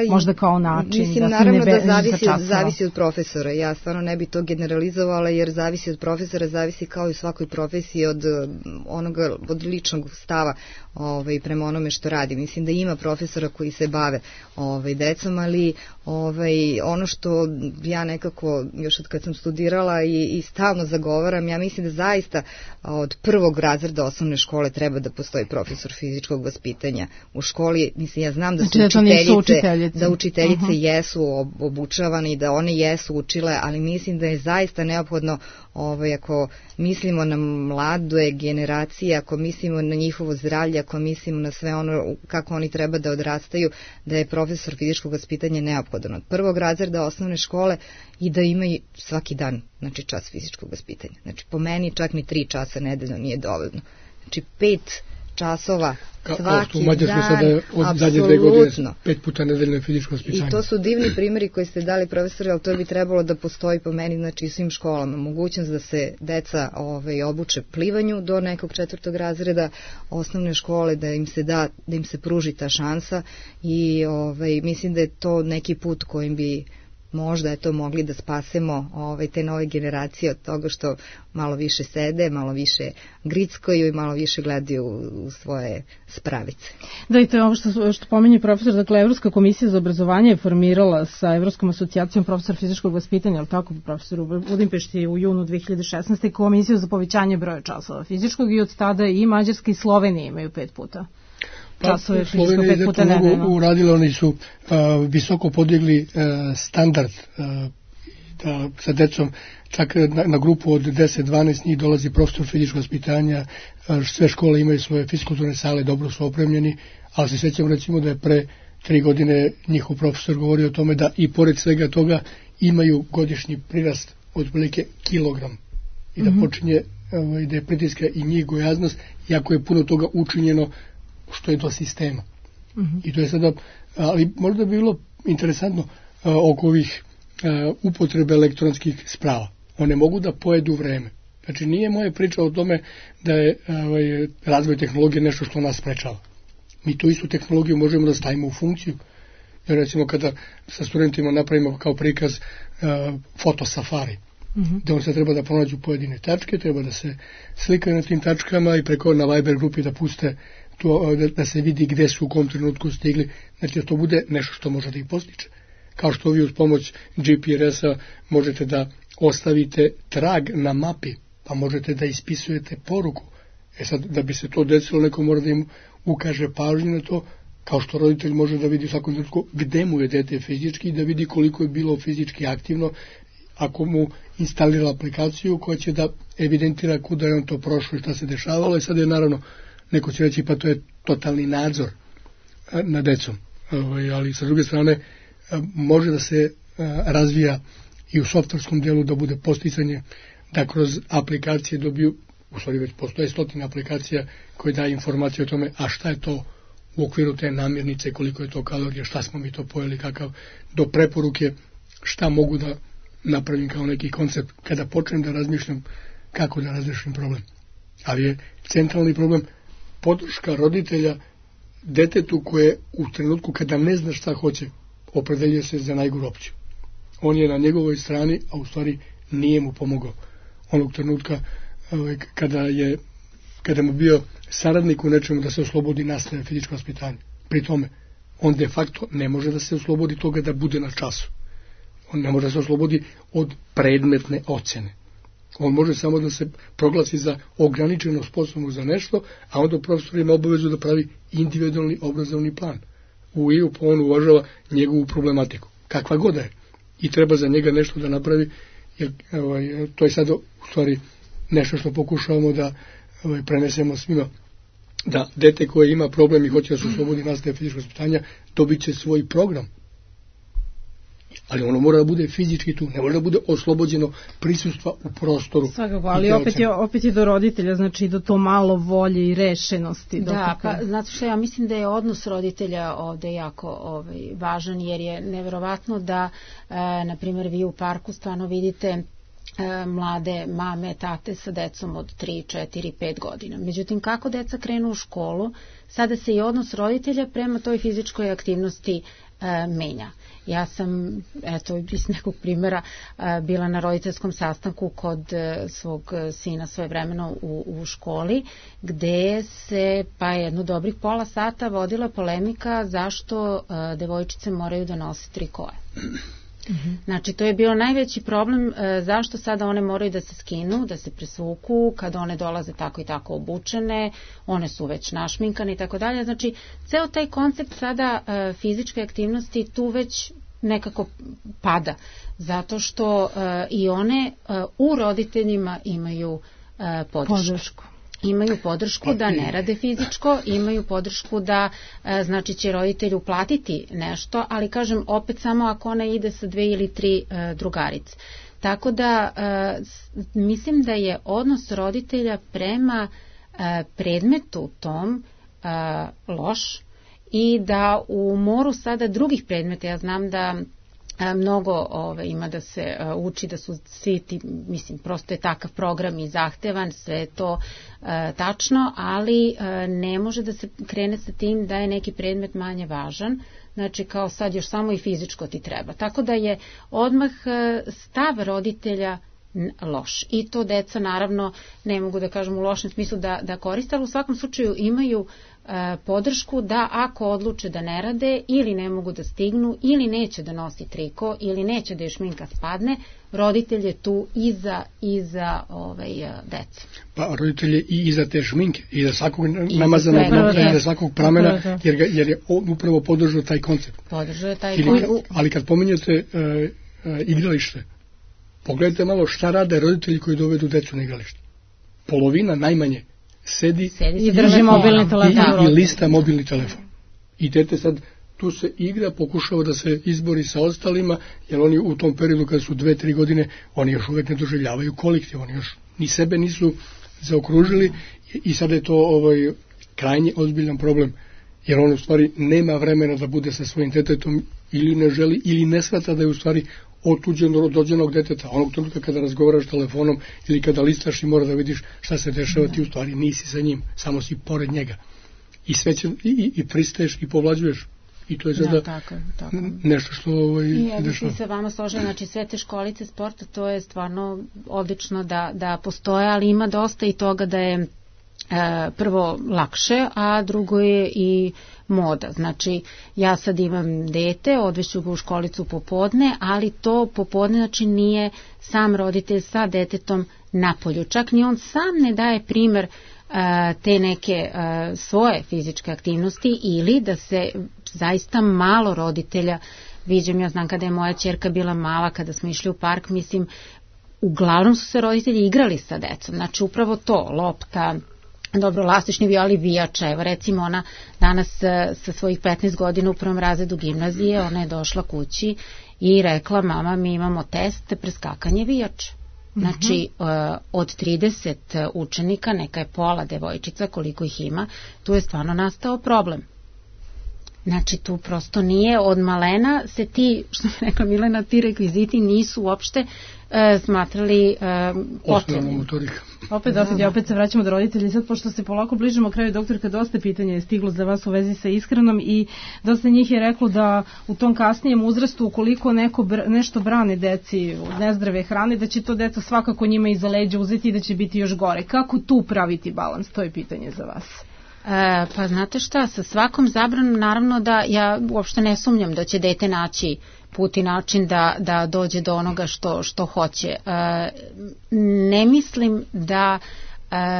Možda kao način, mislim, da se ne beži sa časova. Zavisi od profesora, ja stvarno ne bi to generalizovala jer zavisi od profesora, zavisi kao i u svakoj profesiji od ličnog stava prema onome što radi. Mislim da ima profesora koji se bave decom, ali ono što ja nekako još od kad sam studirala i stalno zagovaram, ja mislim da zaista od prvog razreda osnovne škole treba da postoji profesor fizičkog vaspitanja u školi. Mislim, ja znam da su učiteljice jesu obučavane i da one jesu učile, ali mislim da je zaista neophodno ako mislimo na mlade generacije, ako mislimo na njihovo zdravlje, ako mislimo na sve ono kako oni treba da odrastaju, da je profesor fizičkog vaspitanja neophodan od prvog razreda osnovne škole i da imaju svaki dan čas fizičkog vaspitanja. Znači po meni čak ni 3 časa nedeljno nije dovoljno. Znači 5 časova svaki dan, apsolutno. 5 puta nedeljno fizičko vaspitanje. I to su divni primjeri koji ste dali, profesori, ali to bi trebalo da postoji po meni, znači svim školama. Mogućnost da se deca obuče plivanju do nekog 4. razreda osnovne škole, da im se pruži ta šansa i mislim da je to neki put kojim bi možda mogli da spasemo te nove generacije od toga što malo više sede, malo više grickaju i malo više gledaju u svoje spravice. Da, i to je ovo što pominje profesor, dakle Evropska komisija za obrazovanje je formirala sa Evropskom asocijacijom profesora fizičkog vaspitanja, ali tako profesor u Budimpešti u junu 2016. komisiju za povećanje broja časova fizičkog i od tada i Mađarska i Slovenija imaju 5 puta. Časove fizičko 5 puta nedeljno. Uradili, oni su visoko podigli standard sa decom, čak na grupu od 10-12 njih dolazi profesor fizičkog vaspitanja, sve škole imaju svoje fiskulturne sale, dobro su opremljeni, ali se sjećam recimo da je pre 3 godine njihov profesor govorio o tome da i pored svega toga imaju godišnji prirast od otprilike kilogram i da počinje da je pritiska i njih gojaznost, iako je puno toga učinjeno što je do sistema. I to je sada, ali možda bi bilo interesantno oko ovih upotrebe elektronskih sprava. One mogu da pojedu vreme. Znači nije moja priča o tome da je razvoj tehnologije nešto što nas sprečava. Mi tu istu tehnologiju možemo da stavimo u funkciju. Jer recimo kada sa studentima napravimo kao prikaz fotosafari, da on se treba da pronađu pojedine tačke, treba da se slikaju na tim tačkama i preko na Viber grupi da puste to, da se vidi gde su u kom trenutku stigli, znači da to bude nešto što može da ih postiče. Kao što vi uz pomoć GPS-a možete da ostavite trag na mapi, pa možete da ispisujete poruku. Sad, da bi se to desilo, neko mora da im ukaže pažnju na to, kao što roditelj može da vidi u svakom trenutku gde mu je dete fizički, da vidi koliko je bilo fizički aktivno, ako mu instalira aplikaciju koja će da evidentira kuda je on to prošlo i šta se dešavalo. I sad je naravno, neko će reći pa to je totalni nadzor nad decom. Ali sa druge strane može da se razvija i u softverskom delu da bude posticanje da kroz aplikacije dobiju, u stvari već postoje 100 aplikacija koje daje informacije o tome a šta je to u okviru te namirnice, koliko je to kalorija, šta smo mi to pojeli, kakav, do preporuke šta mogu da napravim kao neki koncept kada počnem da razmišljam kako da razrešim problem. Ali je centralni problem podrška roditelja detetu koje u trenutku kada ne zna šta hoće opredeljuje se za najgoru opciju. On je na njegovoj strani, a u stvari nije mu pomogao. Onog trenutka kada mu bio saradnik u nečemu da se oslobodi nastave fizičko vaspitanje. Pri tome, on de facto ne može da se oslobodi toga da bude na času. On ne može da se oslobodi od predmetne ocene. On može samo da se proglasi za ograničeno sposobno za nešto, a onda profesor ima obavezu da pravi individualni obrazovni plan. U IUP on uvažava njegovu problematiku, kakva god je. I treba za njega nešto da napravi, jer to je sad u stvari nešto što pokušavamo da prenesemo svima. Da dete koje ima problem i hoće da se oslobodi nastave fizičkog vaspitanja, dobit će svoj program. Ali ono mora da bude fizički tu, ne mora da bude oslobođeno prisustva u prostoru. Svakako, ali opet je do roditelja, znači do to malo volje i rešenosti. Da, pa znate što ja mislim da je odnos roditelja ovde jako važan, jer je neverovatno da, na primjer, vi u parku stvarno vidite mlade mame, tate sa decom od 3, 4, 5 godina. Međutim, kako deca krenu u školu, sada se i odnos roditelja prema toj fizičkoj aktivnosti menja. Ja sam, iz nekog primjera, bila na roditeljskom sastanku kod svog sina svojevremeno u školi, gde se jedno dobrih pola sata vodila polemika zašto devojčice moraju da nose trikoje. Znači, to je bio najveći problem zašto sada one moraju da se skinu, da se presvuku, kada one dolaze tako i tako obučene, one su već našminkane i tako dalje. Znači, ceo taj koncept sada fizičke aktivnosti tu već nekako pada, zato što i one u roditeljima imaju podršku. Imaju podršku da ne rade fizičko, imaju podršku da, znači, će roditelju platiti nešto, ali kažem opet samo ako ona ide sa 2 ili 3 drugarice. Tako da mislim da je odnos roditelja prema predmetu tom loš i da u moru sada drugih predmeta, ja znam da mnogo ima da se uči, da su svi ti, mislim, prosto je takav program i zahtevan, sve je to tačno, ali ne može da se krene sa tim da je neki predmet manje važan, znači kao sad još samo i fizičko ti treba. Tako da je odmah stav roditelja loš. I to deca naravno, ne mogu da kažem u lošem smislu da koriste, ali u svakom slučaju imaju podršku da ako odluče da ne rade ili ne mogu da stignu ili neće da nosi triko ili neće da je šminka spadne, roditelj je tu iza dece. Pa roditelj je i iza te šminke, i iza svakog namazanog novca, i iza svakog pramena, jer je upravo podržao taj koncept. Ali kad pominjate igralište, pogledajte malo šta rade roditelji koji dovedu decu na igralište. Polovina najmanje sedi i drži mobilni telefon i lista mobilni telefon. I dete sad tu se igra, pokušava da se izbori sa ostalima, jer oni u tom periodu kada su 2-3 godine, oni još uvek ne doživljavaju kolektiv, oni još ni sebe nisu zaokružili i sada je to krajnje ozbiljan problem, jer on u stvari nema vremena da bude sa svojim detetom ili ne želi ili ne shvata da je u stvari otuđen od rođenog deteta. Onog trenutka kada razgovaraš telefonom ili kada listaš i mora da vidiš šta se dešava, ti u stvari nisi sa njim, samo si pored njega. I sve će, i pristaješ i povlađuješ. I to je sada tako. Nešto što ja bih se vama složila, znači sve te školice sporta, to je stvarno odlično da postoje, ali ima dosta i toga da je prvo lakše, a drugo je i moda. Znači, ja sad imam dete, odveću ga u školicu popodne, ali to popodne znači nije sam roditelj sa detetom napolju. Čak ni on sam ne daje primer te neke svoje fizičke aktivnosti ili da se zaista malo roditelja, viđam, ja znam kada je moja ćerka bila mala, kada smo išli u park, mislim, uglavnom su se roditelji igrali sa decom. Znači, upravo to, lopta, dobro, lastični vijali, vijača, evo recimo ona danas sa svojih 15 godina u prvom razredu gimnazije, ona je došla kući i rekla, mama, mi imamo test preskakanje vijača. Znači, od 30 učenika, neka je pola devojčica, koliko ih ima, tu je stvarno nastao problem. Znači, tu prosto nije od malena se ti, što je rekla Milena, ti rekviziti nisu uopšte smatrali potrebnim. Opet se vraćamo do roditelja. Sad, pošto se polako bližimo kraju, doktorka, dosta pitanja je stiglo za vas u vezi sa ishranom i dosta njih je reklo da u tom kasnijem uzrastu, ukoliko neko nešto brani deci od nezdrave hrane, da će to deca svakako njima iza leđa uzeti i da će biti još gore. Kako tu praviti balans? To je pitanje za vas. Pa znate šta, sa svakom zabranom naravno da ja uopšte ne sumnjam da će dete naći put i način da dođe do onoga što hoće. Ne mislim da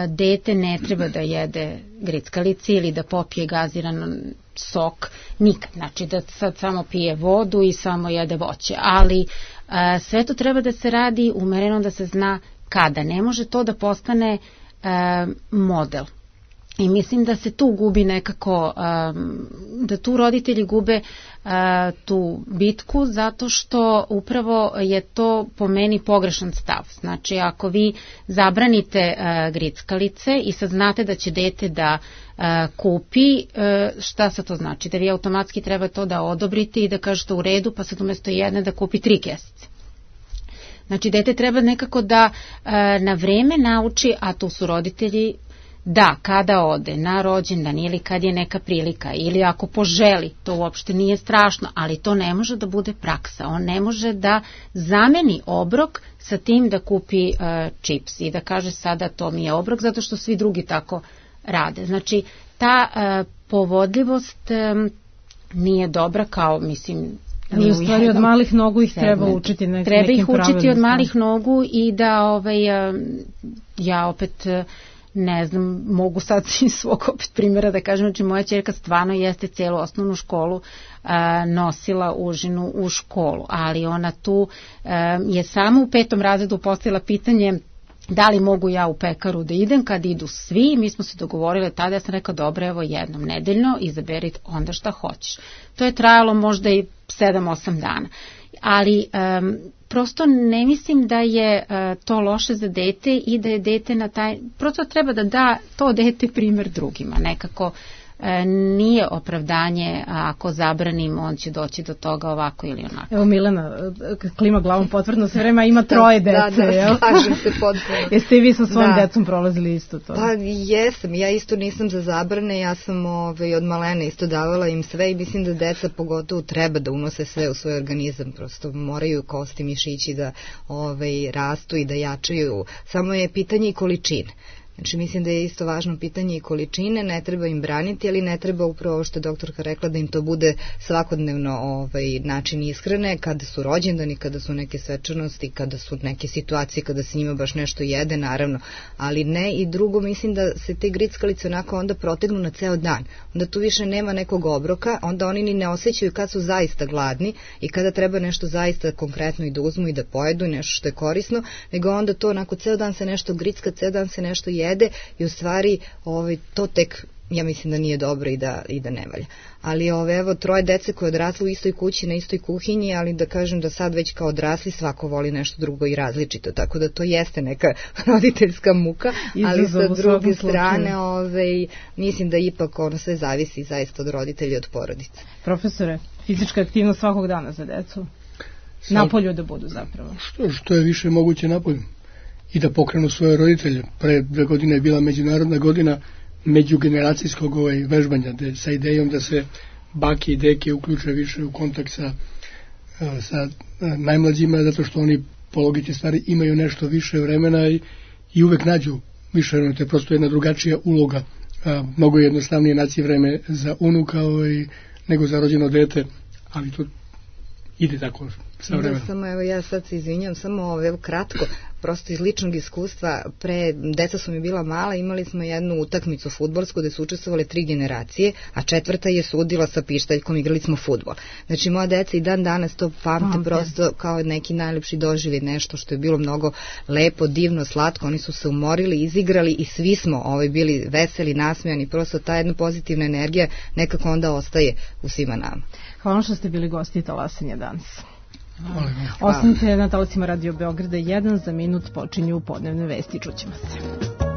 dete ne treba da jede grickalice ili da popije gaziran sok, nikad. Znači da sad samo pije vodu i samo jede voće, ali sve to treba da se radi umereno, da se zna kada. Ne može to da postane model. I mislim da se tu gubi nekako, da tu roditelji gube tu bitku, zato što upravo je to po meni pogrešan stav. Znači, ako vi zabranite grickalice i sad znate da će dete da kupi, šta sad to znači? Da vi automatski treba to da odobrite i da kažete u redu, pa sad umjesto jedne da kupi 3 kesice. Znači, dete treba nekako da na vreme nauči, a tu su roditelji, da, kada ode na rođendan ili kad je neka prilika ili ako poželi, to uopšte nije strašno, ali to ne može da bude praksa. On ne može da zameni obrok sa tim da kupi čips i da kaže sada to mi je obrok zato što svi drugi tako rade. Znači, ta povodljivost nije dobra kao, mislim, ali u stvari od malih nogu ih treba učiti nekim pravilima. Treba ih učiti od malih nogu i da ja opet ne znam, mogu sad iz svog opet primjera da kažem, znači moja ćerka stvarno jeste celu osnovnu školu nosila užinu u školu, ali ona tu je samo u 5. razredu postavila pitanje da li mogu ja u pekaru da idem kad idu svi, mi smo se dogovorile tada, ja sam rekao dobro, evo jednom nedeljno, izaberi onda šta hoćeš. To je trajalo možda i 7-8 dana. Ali prosto ne mislim da je to loše za dete i da je dete na taj, prosto treba da to dete primjer drugima, nekako nije opravdanje ako zabranim, on će doći do toga ovako ili onako. Evo Milena klima glavom potvrdno sve vreme, ima 3 dece. Da, slažem se potpuno. Jeste i vi sa svojim decom prolazili isto to? Pa jesam, ja isto nisam za zabrane, ja sam od malene isto davala im sve i mislim da deca pogotovo treba da unose sve u svoj organizam, prosto moraju kosti, mišići da rastu i da jačaju, samo je pitanje i količine. Znači mislim da je isto važno pitanje i količine, ne treba im braniti, ali ne treba upravo što je doktorka rekla da im to bude svakodnevno način ishrane, kada su rođendani, kada su neke svečanosti, kada su neke situacije, kada se njima baš nešto jede, naravno, ali ne. I drugo, mislim da se te grickalice onako onda protegnu na ceo dan, onda tu više nema nekog obroka, onda oni ni ne osjećaju kad su zaista gladni i kada treba nešto zaista konkretno i da uzmu i da pojedu, nešto što je korisno, nego onda to onako ceo dan se nešto gricka, ceo dan se nešto jede i u stvari to tek ja mislim da nije dobro i da ne valja. Ali evo 3 dece koje odrasle u istoj kući, na istoj kuhinji, ali da kažem da sad već kao odrasli svako voli nešto drugo i različito, tako da to jeste neka roditeljska muka, ali sa druge strane mislim da ipak sve zavisi zaista od roditelja i od porodice. Profesore, fizička aktivnost svakog dana za decu? Napolju da budu zapravo? Što je više moguće napolju. I da pokrenu svoje roditelje. Pre 2 godine je bila međunarodna godina međugeneracijskog vežbanja, sa idejom da se bake i deke uključe više u kontakt sa najmlađima, zato što oni po logici stvari imaju nešto više vremena i uvek nađu više vremena. To je prosto jedna drugačija uloga. Mnogo je jednostavnije naći vreme za unuka nego za rođeno dete, ali to ide tako sa vremenom. Samo ja sad se izvinjam, samo kratko, prosto iz ličnog iskustva, deca su mi bila mala, imali smo jednu utakmicu fudbalsku gde su učestvovale 3 generacije, a 4. je sudila sa pištaljkom, igrali smo fudbal. Znači moja deca i dan danas to pamte prosto kao neki najlepši doživljaj, nešto što je bilo mnogo lepo, divno, slatko, oni su se umorili, izigrali i svi smo bili veseli, nasmejani, prosto ta jedna pozitivna energija nekako onda ostaje u svima nama. Hvala što ste bili gosti Talasanja danas. Ostanite na talasima Radio Beograda 1, za minut počinju podnevne vesti, čućemo se.